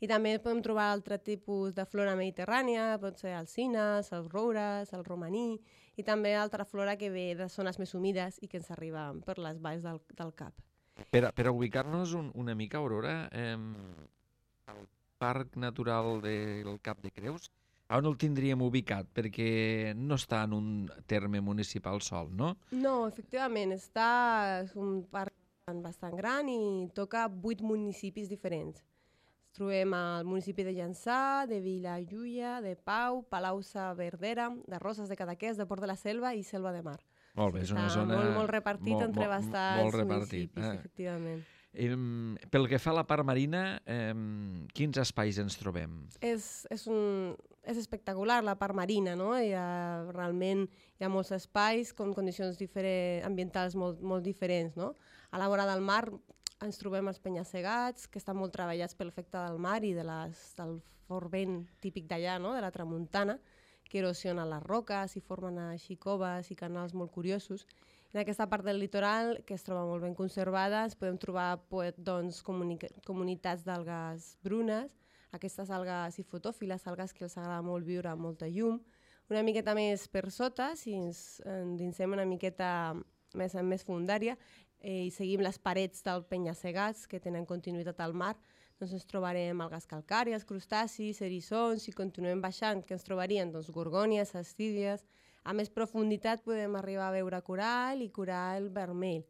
I també podem trobar altre tipus de flora mediterrània, pot ser alzines, els roures, el romaní, i també altra flora que ve de zones més humides i que ens arriba per les valls del Cap. Per ubicar-nos una mica, Aurora, el Parc Natural del Cap de Creus, on el tindríem ubicat? Perquè no està en un terme municipal sol, no? No, efectivament, és un parc bastant gran i toca 8 municipis diferents. Ens trobem al municipi de Llançà, de Vilajuïga, de Pau, Palau-saverdera, de Roses de Cadaqués, de Port de la Selva i Selva de Mar. Molt bé, és una zona... Molt repartit entre bastants municipis, efectivament. Pel que fa a la part marina, quins espais ens trobem? És espectacular la part marina, no? Realment hi ha molts espais amb condicions ambientals molt diferents, no? A la vora del mar ens trobem els penya-segats, que estan molt treballats pel efecte del mar i del fort vent típic d'allà, no? De la tramuntana, que erosionen les roques i formen així coves i canals molt curiosos. En aquesta part del litoral, que es troba molt ben conservada, ens podem trobar comunitats d'algues brunes, aquestes algues i fotòfiles, algues que els agrada molt viure amb molta llum. Una miqueta més per sota, si ens endinsem una miqueta més fundària i seguim les parets del penya-segats que tenen continuïtat al mar, doncs ens trobarem algues calcàries, crustacis, eriçons, i continuem baixant, que ens trobarien gorgònies, astídies. A més profunditat podem arribar a veure corall i corall vermell.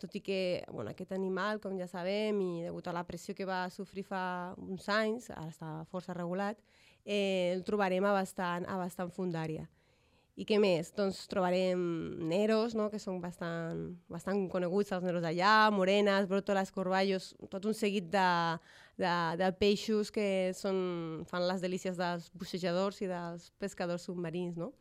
Tot i que aquest animal, com ja sabem, i degut a la pressió que va sofrir fa uns anys, ara està força regulat, el trobarem a bastant fundària. I què més? Doncs trobarem neros, no? Que són bastant coneguts, els neros d'allà, morenes, bròtoles, corballos, tot un seguit de peixos que fan les delícies dels bussejadors i dels pescadors submarins, no?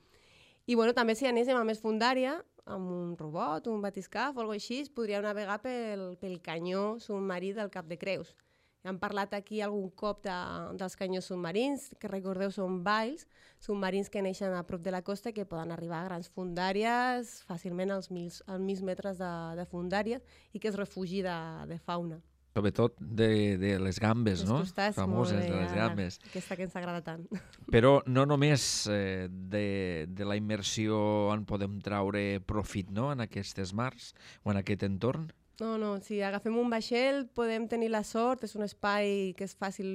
I també si anéssim a més fundària, amb un robot, un batiscaf o alguna cosa així, podríem navegar pel canyó submarí del Cap de Creus. Hem parlat aquí algun cop dels canyons submarins, que recordeu són valls submarins que neixen a prop de la costa i que poden arribar a grans fundàries, fàcilment als 1.000 metres de fundàries, i que es refugi de fauna. Sobretot de les gambes, no? Famoses de les gambes. Aquesta que ens agrada tant. Però no només de la immersió en podem traure profit, no?, en aquestes mars o en aquest entorn? No, si agafem un vaixell podem tenir la sort, és un espai que és fàcil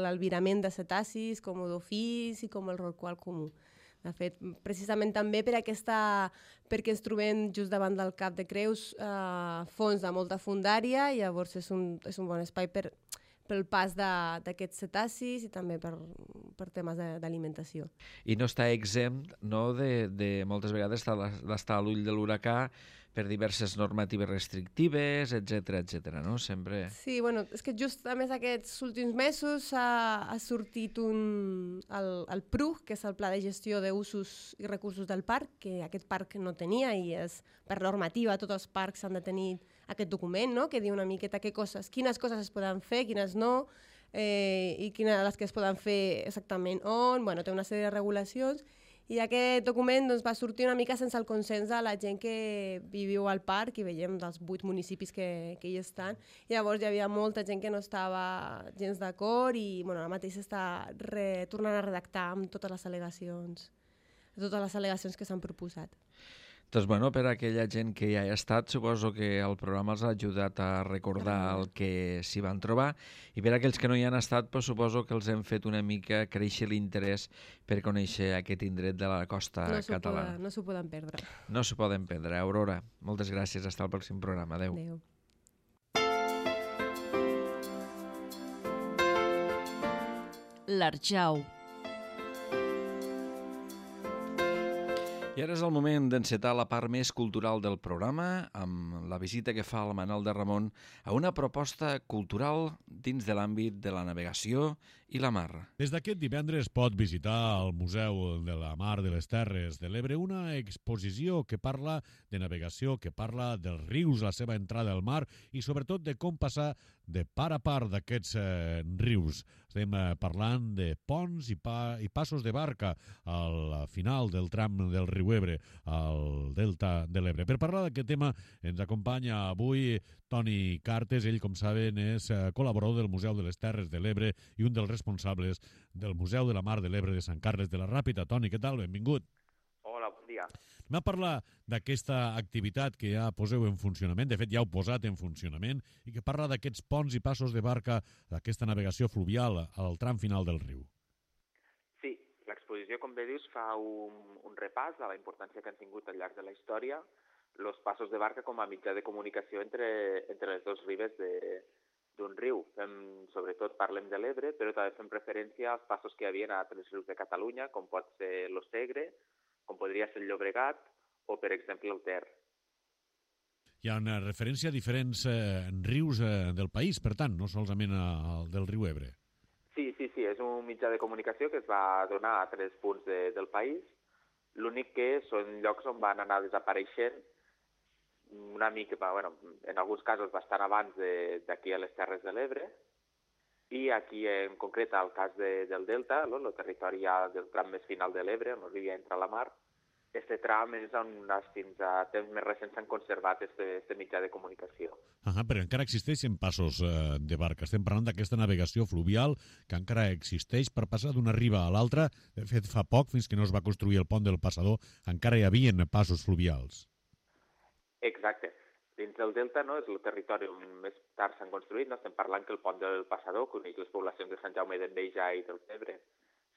l'albirament de cetacis, com dofís i com el rorqual comú. De fet, precisament també perquè ens trobem just davant del Cap de Creus fons de molta fondària, i llavors és un bon espai pel pas d'aquests cetacis i també per temes d'alimentació. I no està exempt, no, de moltes vegades d'estar a l'ull de l'huracà per diverses normatives restrictives, etc., no? Sempre... Sí, bueno, és que just a més aquests últims mesos ha sortit el PRUG, que és el Pla de Gestió d'Usos i Recursos del Parc, que aquest parc no tenia, i és per normativa tots els parcs han de tenir aquest document, no?, que diu una miqueta quines coses es poden fer, quines no, i quines de les que es poden fer exactament on. Bueno, té una sèrie de regulacions, i aquest document doncs, va sortir una mica sense el consens de la gent que viviu al parc, i veiem dels 8 municipis que hi estan. I llavors hi havia molta gent que no estava gens d'acord, i bueno, ara mateix s'està tornant a redactar amb totes les al·legacions que s'han proposat. Doncs, bueno, per a aquella gent que ja hi ha estat, suposo que el programa els ha ajudat a recordar el que s'hi van trobar, i per a aquells que no hi han estat, doncs, suposo que els hem fet una mica créixer l'interès per conèixer aquest indret de la costa catalana. No s'ho poden perdre. No s'ho poden perdre. Aurora, moltes gràcies. Hasta el pròxim programa. Adéu. Adéu. L'Arjau. I ara és el moment d'encetar la part més cultural del programa amb la visita que fa el Manel de Ramon a una proposta cultural dins de l'àmbit de la navegació i la mar. Des d'aquest divendres pot visitar al Museu de la Mar de les Terres de l'Ebre una exposició que parla de navegació, que parla dels rius, la seva entrada al mar i sobretot de com passar de part a part d'aquests rius. Estem parlant de ponts i passos de barca al final del tram del riu Ebre, al delta de l'Ebre. Per parlar d'aquest tema ens acompanya avui Toni Cartes. Ell, com saben, és col·laborador del Museu de les Terres de l'Ebre i un dels responsables del Museu de la Mar de l'Ebre de Sant Carles de la Ràpita. Toni, què tal? Benvingut. Hola, bon dia. Anem a parlar d'aquesta activitat que ja poseu en funcionament, de fet ja heu posat en funcionament, i que parla d'aquests ponts i passos de barca, d'aquesta navegació fluvial al tram final del riu. Sí, l'exposició, com bé dius, fa un repàs a la importància que han tingut al llarg de la història els passos de barca com a mitjà de comunicació entre les dues ribes d'un riu. Sobretot parlem de l'Ebre, però també fem referència als passos que hi havia a altres rius de Catalunya, com pot ser el Segre, com podria ser el Llobregat o, per exemple, el Ter. Hi ha una referència a diferents rius del país, per tant, no solament al del riu Ebre. Sí, és un mitjà de comunicació que es va donar a 3 punts del país. L'únic que són llocs on van anar desapareixent una mica, en alguns casos bastant abans d'aquí a les Terres de l'Ebre, i aquí en concret el cas del Delta, el territori ja del tram més final de l'Ebre, on arriba a entrar a la mar, aquest tram és on fins a temps més recents s'han conservat aquest mitjà de comunicació. Però encara existeixen passos de barca. Estem parlant d'aquesta navegació fluvial que encara existeix per passar d'una riba a l'altra. De fet, fa poc, fins que no es va construir el pont del Passador, encara hi havia passos fluvials. Exacte. Dins del Delta és el territori on més tard s'han construït. Estem parlant que el pont del Passador, que uneix les poblacions de Sant Jaume d'Enveja i del Ebre,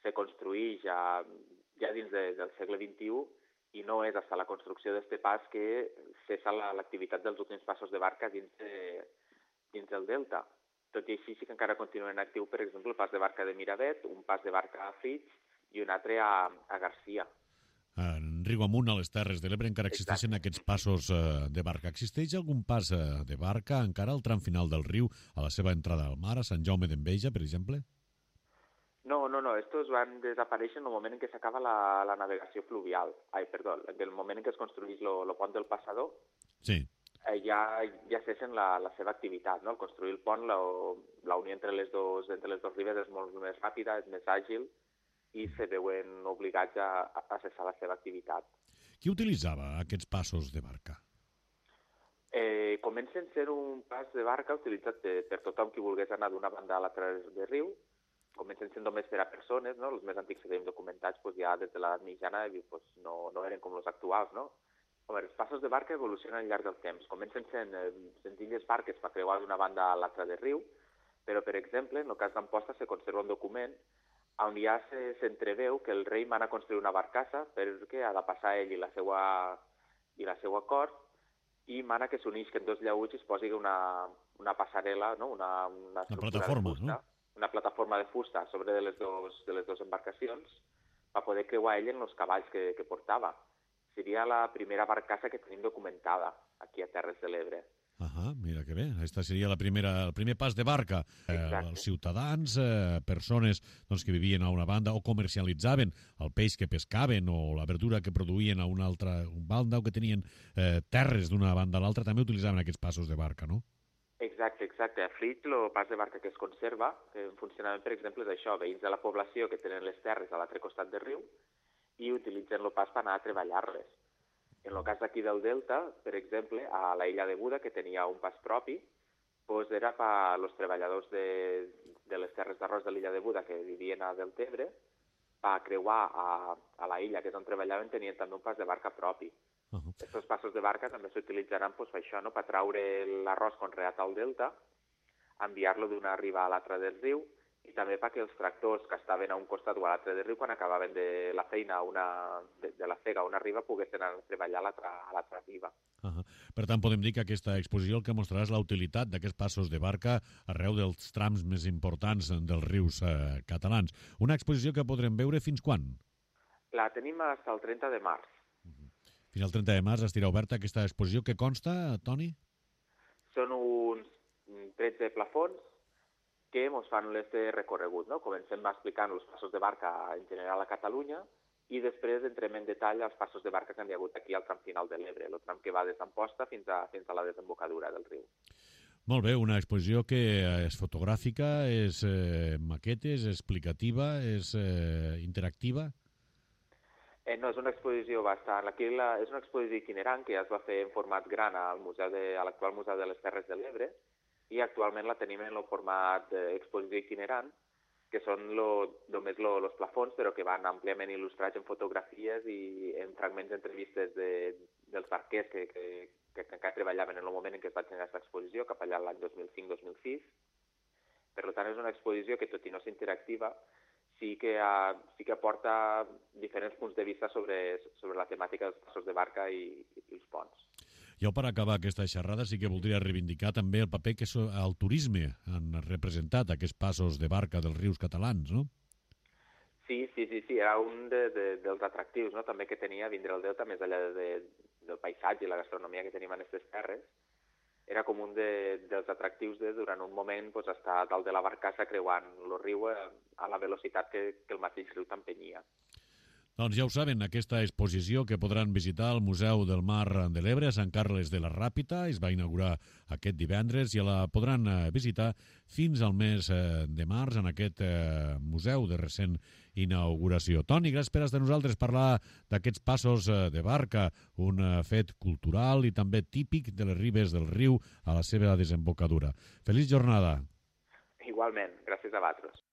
se construïx ja dins del segle XXI, i no és fins la construcció d'aquest pas que cessa l'activitat dels últims passos de barca dins del Delta. Tot i així, sí que encara continuen actiu, per exemple, el pas de barca de Miravet, un pas de barca a Flix i un altre a Garcia. En riu amunt, a les Terres de l'Ebre, encara existeixen aquests passos de barca. Existeix algun pas de barca encara al tram final del riu, a la seva entrada al mar, a Sant Jaume d'Enveja, per exemple? No, estos van desaparèixer en el moment en què s'acaba la navegació fluvial. En el moment en què es construeix el pont del Passador, sí. Ja cessen la seva activitat. No? Al construir el pont, la unió entre les dues ribes és molt més ràpida, és més àgil, i se veuen obligats a cessar la seva activitat. Qui utilitzava aquests passos de barca? Comencen a ser un pas de barca utilitzat per tothom qui volgués anar d'una banda a l'altra del riu. Comencen sent només per a persones, no? Els més antics que tenim documentats ja des de l'edat mitjana no eren com els actuals, no? A veure, els passos de barca evolucionen al llarg del temps. Comencen sent senzilles barques per creuar d'una banda a l'altra del riu, però, per exemple, en el cas d'Amposta se conserva un document on ja s'entreveu que el rei mana construir una barcassa perquè ha de passar ell i la seva cort, i mana que s'unisquen dos llauts i es posi una passarel·la, no? una plataforma, de fusta, no? Una plataforma de fusta sobre de les dues embarcacions per poder creuar ell en els cavalls que portava. Seria la primera barcassa que tenim documentada aquí a Terres de l'Ebre. Mira que bé. Aquesta seria el primer pas de barca. Els ciutadans, persones que vivien a una banda o comercialitzaven el peix que pescaven o la verdura que produïen a una altra banda o que tenien terres d'una banda a l'altra, també utilitzaven aquests passos de barca, no? Exacte. A Flix, el pas de barca que es conserva, en funcionament, per exemple, és això, veïns de la població que tenen les terres a l'altre costat del riu i utilitzen el pas per anar a treballar-les. En el cas d'aquí del Delta, per exemple, a la illa de Buda, que tenia un pas propi, doncs era per als treballadors de les terres d'arròs de l'illa de Buda que vivien a Deltebre, per creuar a la illa, que és on treballaven, tenien també un pas de barca propi. Aquests passos de barca també s'utilitzaran per això, per traure l'arròs conreat al Delta, enviar-lo d'una riba a l'altra del riu, i també perquè els tractors que estaven a un costat o a l'altre del riu, quan acabaven de la feina de la cega a una riba, poguessin anar a treballar a l'altra riba. Per tant, podem dir que aquesta exposició el que mostrarà és la utilitat d'aquests passos de barca arreu dels trams més importants dels rius catalans. Una exposició que podrem veure fins quan? La tenim fins al 30 de març. Fins al 30 de març estirà oberta aquesta exposició. Què consta, Toni? Són uns 13 plafons que ens fan este recorregut, no? Comencem explicant els passos de barca en general a Catalunya i després entrem en detall els passos de barca que han hi hagut aquí al tram final de l'Ebre, el tram que va des d'Amposta fins a la desembocadura del riu. Molt bé, una exposició que és fotogràfica, és maquetes, és explicativa, és interactiva? No, és una exposició bastant... Aquí és una exposició itinerant que ja es va fer en format gran a l'actual Museu de les Terres de l'Ebre, i actualment la tenim en el format d'exposició itinerant, que són només els plafons, però que van àmpliament il·lustrats en fotografies i en fragments d'entrevistes dels barquers que encara treballaven en el moment en què es va generar aquesta exposició, cap allà l'any 2005-2006. Per tant, és una exposició que, tot i no ser interactiva, sí que aporta diferents punts de vista sobre la temàtica dels passos de barca i els ponts. Jo, per acabar aquesta xerrada, sí que voldria reivindicar també el paper que el turisme han representat, aquests passos de barca dels rius catalans, no? Sí, era un dels atractius, no? També que tenia vindre al Delta, més enllà del paisatge i la gastronomia que tenim en aquestes terres. Era com un dels atractius durant un moment estar dalt de la barcassa creuant el riu a la velocitat que el mateix riu t'empenyia. Doncs ja ho saben, aquesta exposició que podran visitar al Museu del Mar de l'Ebre a Sant Carles de la Ràpita es va inaugurar aquest divendres i la podran visitar fins al mes de març en aquest museu de recent inauguració. Toni, gràcies per estar amb nosaltres, parlar d'aquests passos de barca, un fet cultural i també típic de les ribes del riu a la seva desembocadura. Feliç jornada. Igualment, gràcies a vosaltres.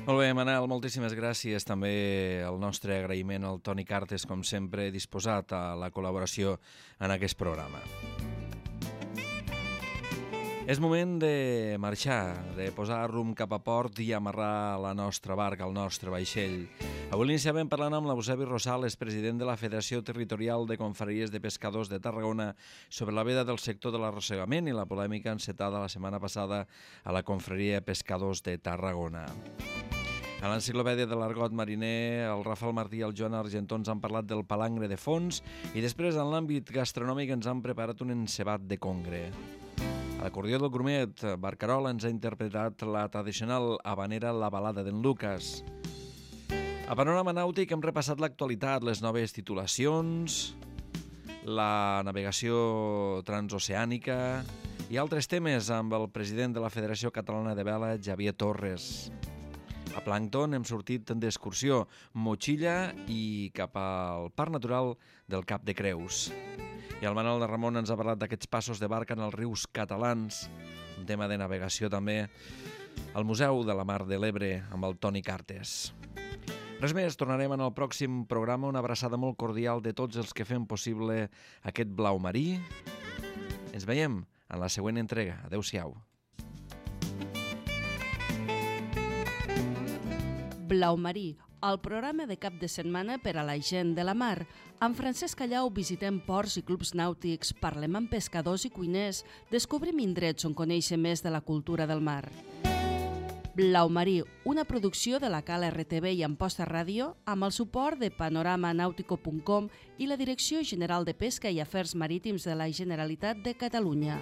Molt bé, Manel, moltíssimes gràcies. També el nostre agraïment al Toni Cartes, com sempre, disposat a la col·laboració en aquest programa. És moment de marxar, de posar rumb cap a port i amarrar la nostra barca, el nostre vaixell. Avui l'iniciàvem parlant amb l'Eusebi Rosales, president de la Federació Territorial de Confraries de Pescadors de Tarragona, sobre la veda del sector de l'arrossegament i la polèmica encetada la setmana passada a la Confraria de Pescadors de Tarragona. A l'Enciclopèdia de l'Argot Mariner, el Rafael Martí i el Joan Argentó ens han parlat del palangre de fons i després, en l'àmbit gastronòmic, ens han preparat un encebat de congre. A l'acordió del Grumet, Barcarola ens ha interpretat la tradicional habanera La balada d'en Lucas. A Panorama Nàutic hem repassat l'actualitat, les noves titulacions, la navegació transoceànica i altres temes amb el president de la Federació Catalana de Vela, Xavier Torres. A Plàncton hem sortit d'excursió, motxilla i cap al Parc Natural del Cap de Creus. I el Manel de Ramon ens ha parlat d'aquests passos de barca en els rius catalans, un tema de navegació també, al Museu de la Mar de l'Ebre amb el Toni Cartes. Res més, tornarem en el pròxim programa. Una abraçada molt cordial de tots els que fem possible aquest blau marí. Ens veiem en la següent entrega. Adéu-siau. Blau marí, el programa de cap de setmana per a la gent de la mar. Amb Francesc Callau visitem ports i clubs nàutics, parlem amb pescadors i cuiners, descobrim indrets on conèixer més de la cultura del mar. Blau marí, una producció de la Cala RTV i Amposta Ràdio amb el suport de panoramanautico.com i la Direcció General de Pesca i Afers Marítims de la Generalitat de Catalunya.